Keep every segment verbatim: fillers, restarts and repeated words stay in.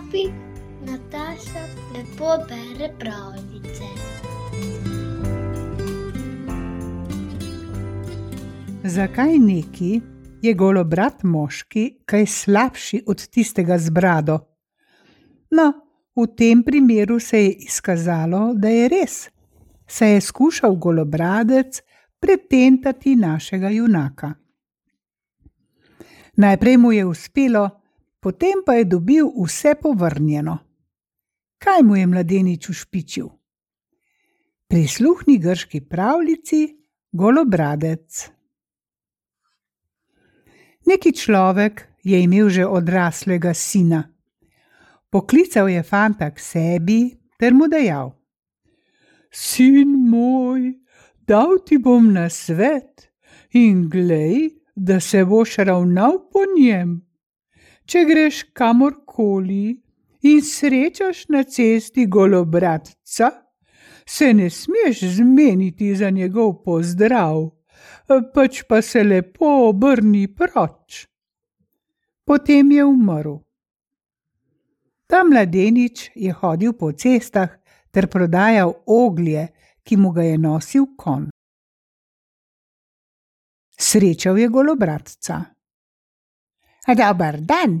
klopi Nataša lepo bere pravljice. Zakaj neki je golobrat moški kaj slabši od tistega z brado? No, v tem primeru se je izkazalo, da je res, saj je skušal golobradec pretentati našega junaka. Najprej mu je uspelo, potem pa je dobil vse povrnjeno. Kaj mu je mladenič ušpičil? Prisluhni grški pravljici Golobradec. Neki človek je imel že odraslega sina. Poklical je fanta k sebi ter mu dejal: Sin moj, dal ti bom nasvet in glej, da se boš ravnal po njem. Če greš kamorkoli in srečaš na cesti golobradca, se ne smeš zmeniti za njegov pozdrav, pač pa se lepo obrni proč. Potem je umrl. Ta mladenič je hodil po cestah ter prodajal oglje, ki mu ga je nosil konj. Srečal je golobradca. Dober dan,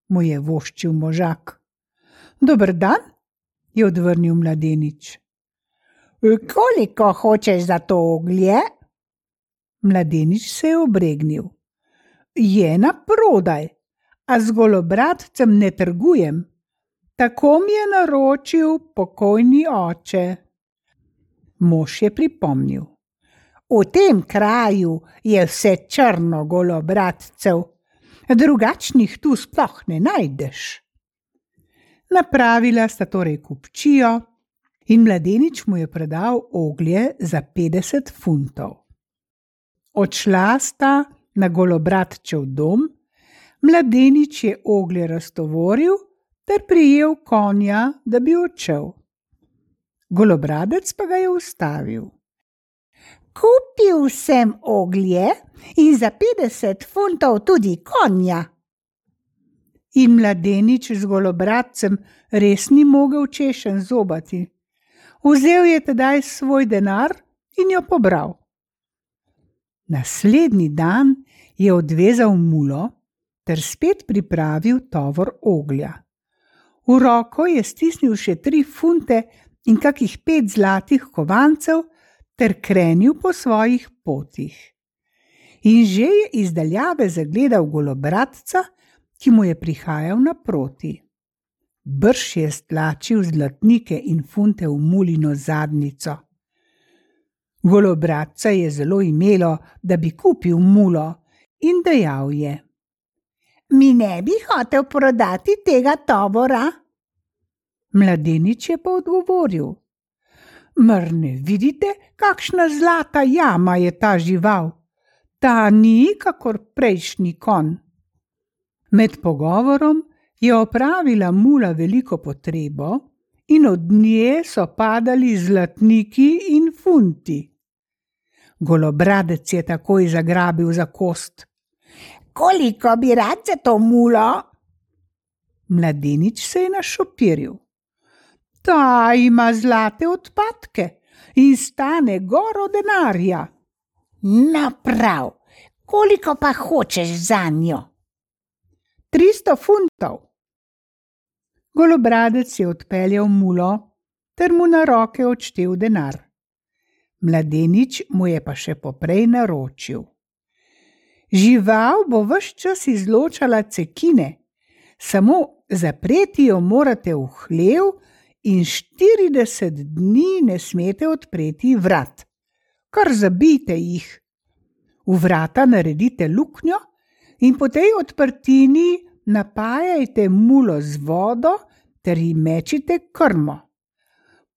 mu je voščil možak. Dober dan, je odvrnil mladenič. Koliko hočeš za to oglje? Mladenič se je obregnil. Je na prodaj, a z golobradcem ne trgujem. Tako mi je naročil pokojni oče. Mož je pripomnil. V tem kraju je vse črno golobradcev, drugačnih tu sploh ne najdeš. Napravila sta torej kupčijo in mladenič mu je predal oglje za petdeset funtov. Odšla sta na golobradčev dom, mladenič je oglje raztovoril ter prijel konja, da bi odšel. Golobradec pa ga je ustavil. Kupil sem oglje in za petdeset funtov tudi konja. In mladenič z golobradcem res ni mogel češenj zobati. Vzel je tedaj svoj denar in jo pobral. Naslednji dan je odvezal mulo ter spet pripravil tovor oglja. V roko je stisnil še tri funte in kakih pet zlatih kovancev ter krenil po svojih potih. In že je iz daljave zagledal golobradca, ki mu je prihajal naproti. Brž je stlačil zlatnike in funte v mulino zadnjico. Golobradca je zelo imelo, da bi kupil mulo, in dejal je: Mi ne bi hotel prodati tega tovora? Mladenič je pa odgovoril: Mar ne vidite, kakšna zlata jama je ta žival? Ta ni kakor prejšnji konj. Med pogovorom je opravila mula veliko potrebo in od nje so padali zlatniki in funti. Golobradec je takoj zagrabil za kost. Koliko bi rad za to mulo? Mladenič se je našopiril. Ta ima zlate odpadke in stane goro denarja. Naprav, koliko pa hočeš zanjo? Tristo funtov. Golobradec je odpeljal mulo ter mu na roke odštel denar. Mladenič mu je pa še poprej naročil. Žival bo ves čas izločala cekine, samo zapreti jo morate v hlev in štirideset dni ne smete odpreti vrat. Kar zabijte jih. V vrata naredite luknjo in po tej odprtini napajajte mulo z vodo ter ji mečite krmo.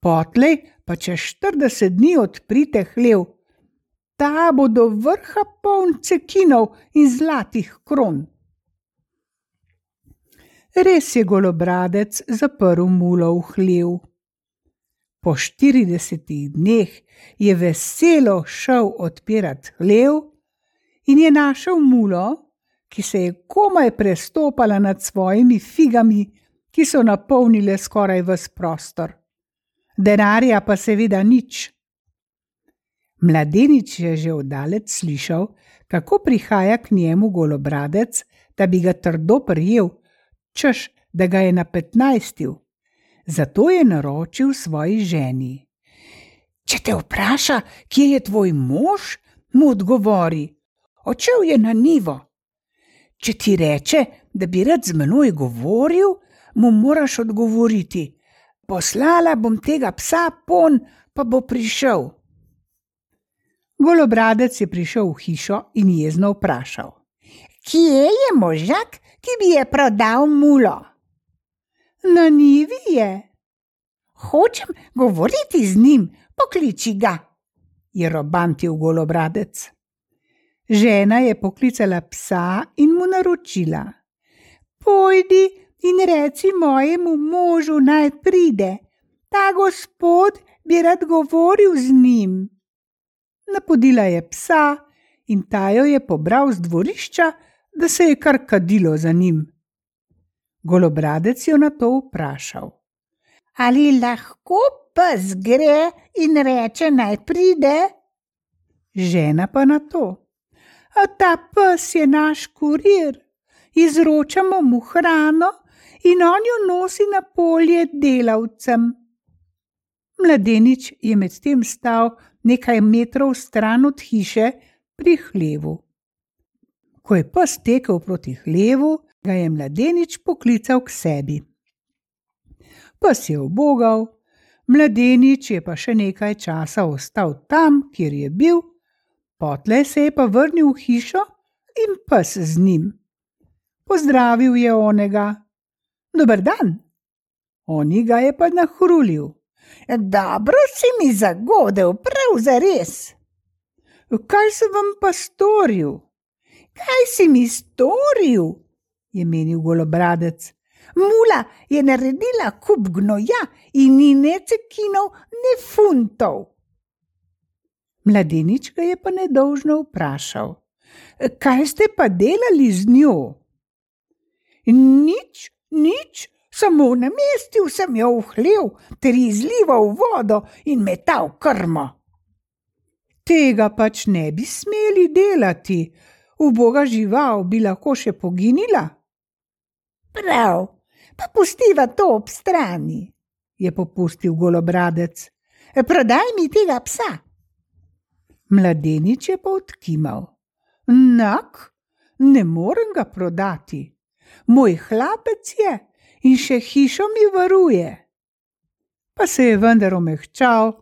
Potlej pa čez štirideset dni odprite hlev. Ta bo do vrha poln cekinov in zlatih kron. Res je golobradec zaprl mulo v hlev. Po štiridesetih dneh je veselo šel odpirat hlev in je našel mulo, ki se je komaj prestopala nad svojimi figami ki so napolnile skoraj ves prostor. Denarja pa seveda nič. Mladenič je že oddaleč slišal, kako prihaja k njemu Golobradec, da bi ga trdo prijel, češ, da ga je napetnajstil. Zato je naročil svoji ženi. Če te vpraša, kje je tvoj mož, mu odgovori, odšel je na njivo. Če ti reče, da bi rad z menoj govoril, mu moraš odgovoriti, poslala bom tega psa pon, pa bo prišel. Golobradec je prišel v hišo in jezno vprašal. Kje je možak, ki bi je prodal mulo? Na njivi je. Hočem govoriti z njim, pokliči ga, je robantil Golobradec. Žena je poklicala psa in mu naročila. Pojdi in reci mojemu možu, naj pride, ta gospod bi rad govoril z njim. Napodila je psa in ta jo je pobral z dvorišča, da se je kar kadilo za njim. Golobradec jo na to vprašal. Ali lahko pes gre in reče, naj pride? Žena pa na to. A ta pes je naš kurir, izročamo mu hrano in on jo nosi na polje delavcem. Mladenič je medtem stal nekaj metrov stran od hiše pri hlevu. Ko je pes tekel proti hlevu, ga je mladenič poklical k sebi. Pes je ubogal, mladenič je pa še nekaj časa ostal tam, kjer je bil, potlej se je pa vrnil v hišo in pes z njim. Pozdravil je onega. Dober dan. Oni ga je pa nahrulil. Dobro si mi zagodel, prav zares. Kaj sem vam pa storil? Kaj si mi storil? Je menil Golobradec. Mula je naredila kup gnoja in ni ne cekinov, ne funtov. Mladenič ga je pa nedolžno vprašal. Kaj ste pa delali z njo? Nič, nič. Samo namestil sem jo v hlev, ter izlival vodo in metal krmo. Tega pač ne bi smeli delati, uboga žival bi lahko še poginila. Prav, pa pustiva to ob strani, je popustil Golobradec. Prodaj mi tega psa. Mladenič je pa odkimal. Nak, ne morem ga prodati. Moj hlapec je in še hišo mi varuje. Pa se je vendar omehčal,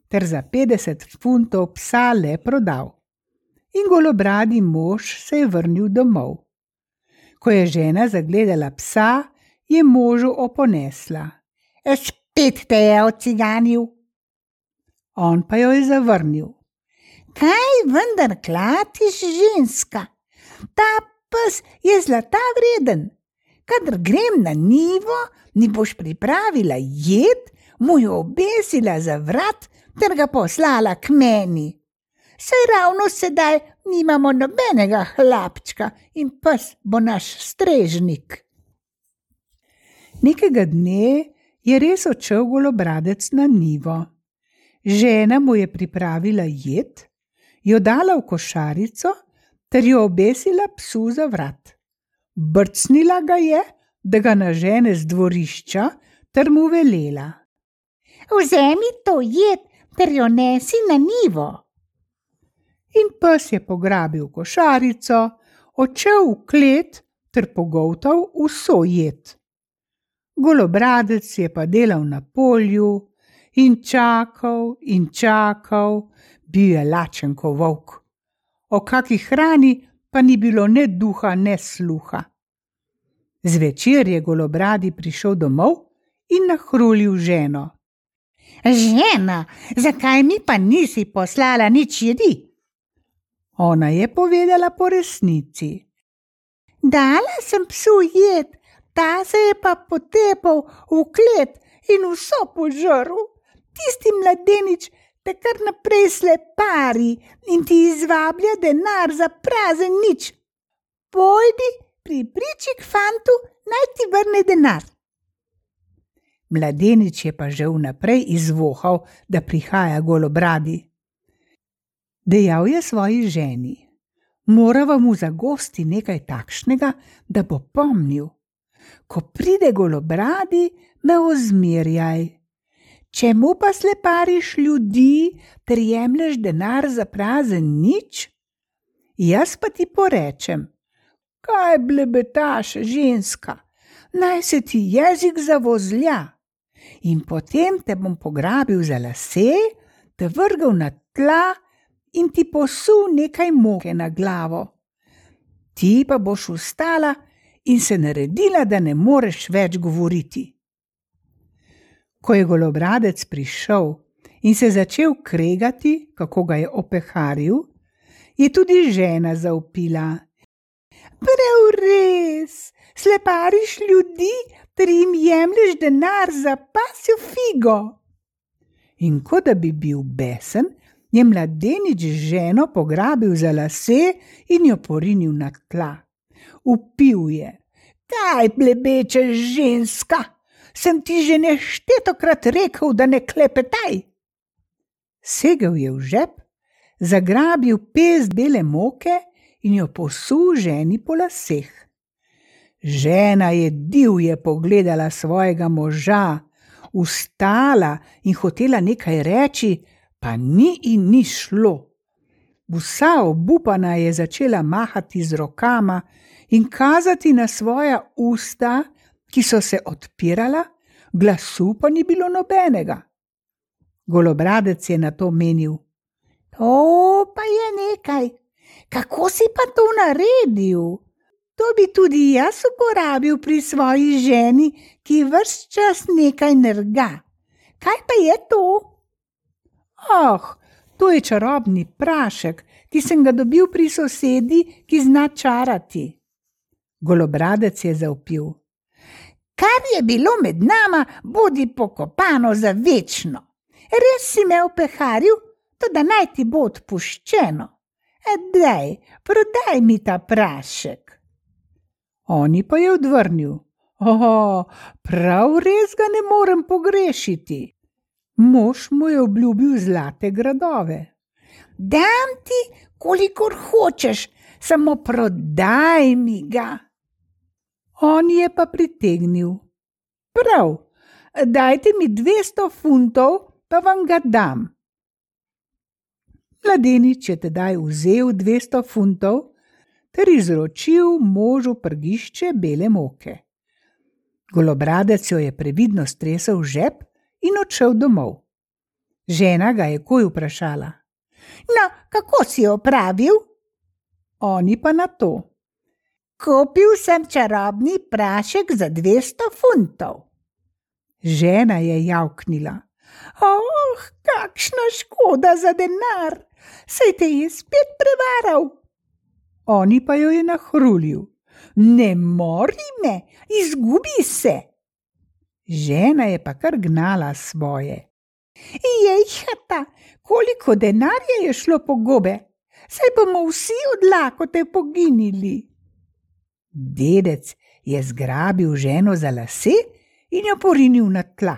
ter za petdeset funtov psa le prodal. In golobradi mož se je vrnil domov. Ko je žena zagledala psa, je možu oponesla. Spet te je ociganil. On pa jo je zavrnil. Kaj vendar klatiš, ženska? Ta pes je zlata vreden. Kadar grem na njivo, mi boš pripravila jed, mu jo obesila za vrat, ter ga poslala k meni. Saj ravno sedaj nimamo nobenega hlapčka in pes bo naš strežnik. Nekega dne je res odšel Golobradec na njivo. Žena mu je pripravila jed, jo dala v košarico, ter jo obesila psu za vrat. Brcnila ga je, da ga nažene z dvorišča, ter mu velela. Vzemi to jed, ter jo nesi na njivo. In pes je pograbil košarico, odšel v klet, ter pogoltal vso jed. Golobradec je pa delal na polju in čakal in čakal, bil je lačen ko volk. O kaki hrani pa ni bilo ne duha, ne sluha. Zvečer je Golobradi prišel domov in nahrulil ženo. Žena, zakaj mi pa nisi poslala nič jedi? Ona je povedala po resnici. Dala sem psu jed, ta se je pa potepal v klet in vso požrl. Tisti mladenič te kar naprej slepari in ti izvablja denar za prazen nič. Pojdi pri priči k fantu, naj ti vrne denar. Mladenič je pa že vnaprej izvohal, da prihaja Golobradi. Dejal je svoji ženi: morava mu zagosti nekaj takšnega, da bo pomnil. Ko pride Golobradi, me ozmerjaj. Čemu pa slepariš ljudi, ter jemlješ denar za prazen nič? Jaz pa ti porečem: kaj blebetaš, ženska, naj se ti jezik zavozlja. In potem te bom pograbil za lase, te vrgel na tla in ti posul nekaj moke na glavo. Ti pa boš vstala in se naredila, da ne moreš več govoriti. Ko je Golobradec prišel in se začel kregati, kako ga je opeharil, je tudi žena zavpila: prav res, slepariš ljudi, ter jim jemlješ denar za pasjo figo. In kot da bi bil besen, je mladenič ženo pograbil za lase in jo porinil na tla. Vpil je: kaj plebečeš, ženska? Sem ti že neštetokrat rekel, da ne klepetaj. Segel je v žep, zagrabil pest bele moke in jo posul ženi po laseh. Žena je divje pogledala svojega moža, vstala in hotela nekaj reči, pa ni in ni šlo. Vsa obupana je začela mahati z rokama in kazati na svoja usta, ki so se odpirala, glasu pa ni bilo nobenega. Golobradec je na to menil: to pa je nekaj, kako si pa to naredil? To bi tudi jaz uporabil pri svoji ženi, ki ves čas nekaj nerga. Kaj pa je to? Oh, to je čarobni prašek, ki sem ga dobil pri sosedi, ki zna čarati. Golobradec je zavpil: kar je bilo med nama, bodi pokopano za večno. Res si me opeharil, toda naj ti bo odpuščeno. Daj, prodaj mi ta prašek. Oni pa je odvrnil: o, prav res ga ne morem pogrešiti. Mož mu je obljubil zlate gradove. Dam ti, kolikor hočeš, samo prodaj mi ga. On je pa pritegnil: prav, dajte mi dvesto funtov, pa vam ga dam. Mladenič je tedaj vzel dvesto funtov ter izročil možu prgišče bele moke. Golobradec jo je previdno stresel v žep in odšel domov. Žena ga je takoj vprašala: no, kako si opravil? Oni pa na to: kupil sem čarobni prašek za dvesto funtov. Žena je javknila: oh, kakšna škoda za denar, saj te je spet prevaral. Oni pa jo je nahrulil: ne mori me, izgubi se. Žena je pa kar gnala svoje: jejhata, koliko denarja je šlo po gobe, saj bomo vsi od lakote poginili. Dedec je zgrabil ženo za lase in jo porinil na tla.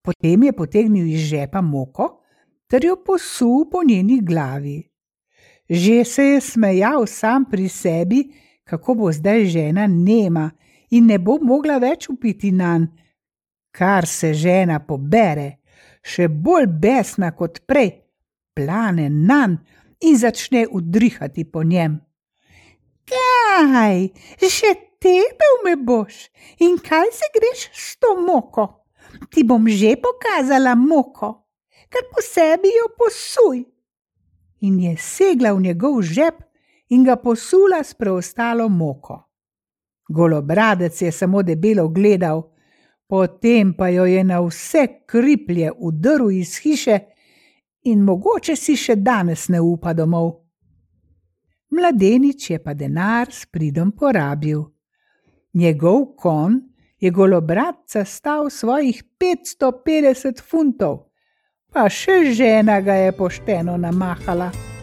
Potem je potegnil iz žepa moko ter jo posul po njeni glavi. Že se je smejal sam pri sebi, kako bo zdaj žena nema in ne bo mogla več vpiti nanj. Kar se žena pobere, še bolj besna kot prej, plane nanj in začne udrihati po njem. Kaj, še tepel me boš in kaj se greš s to moko? Ti bom že pokazala moko, kar po sebi jo posuj. In je segla v njegov žep in ga posula s preostalo moko. Golobradec je samo debelo gledal, potem pa jo je na vse kriplje udrl iz hiše in mogoče si še danes ne upa domov. Mladenič je pa denar s pridom porabil. Njegov konj je Golobradca stal svojih petsto petdeset funtov, pa še žena ga je pošteno namahala.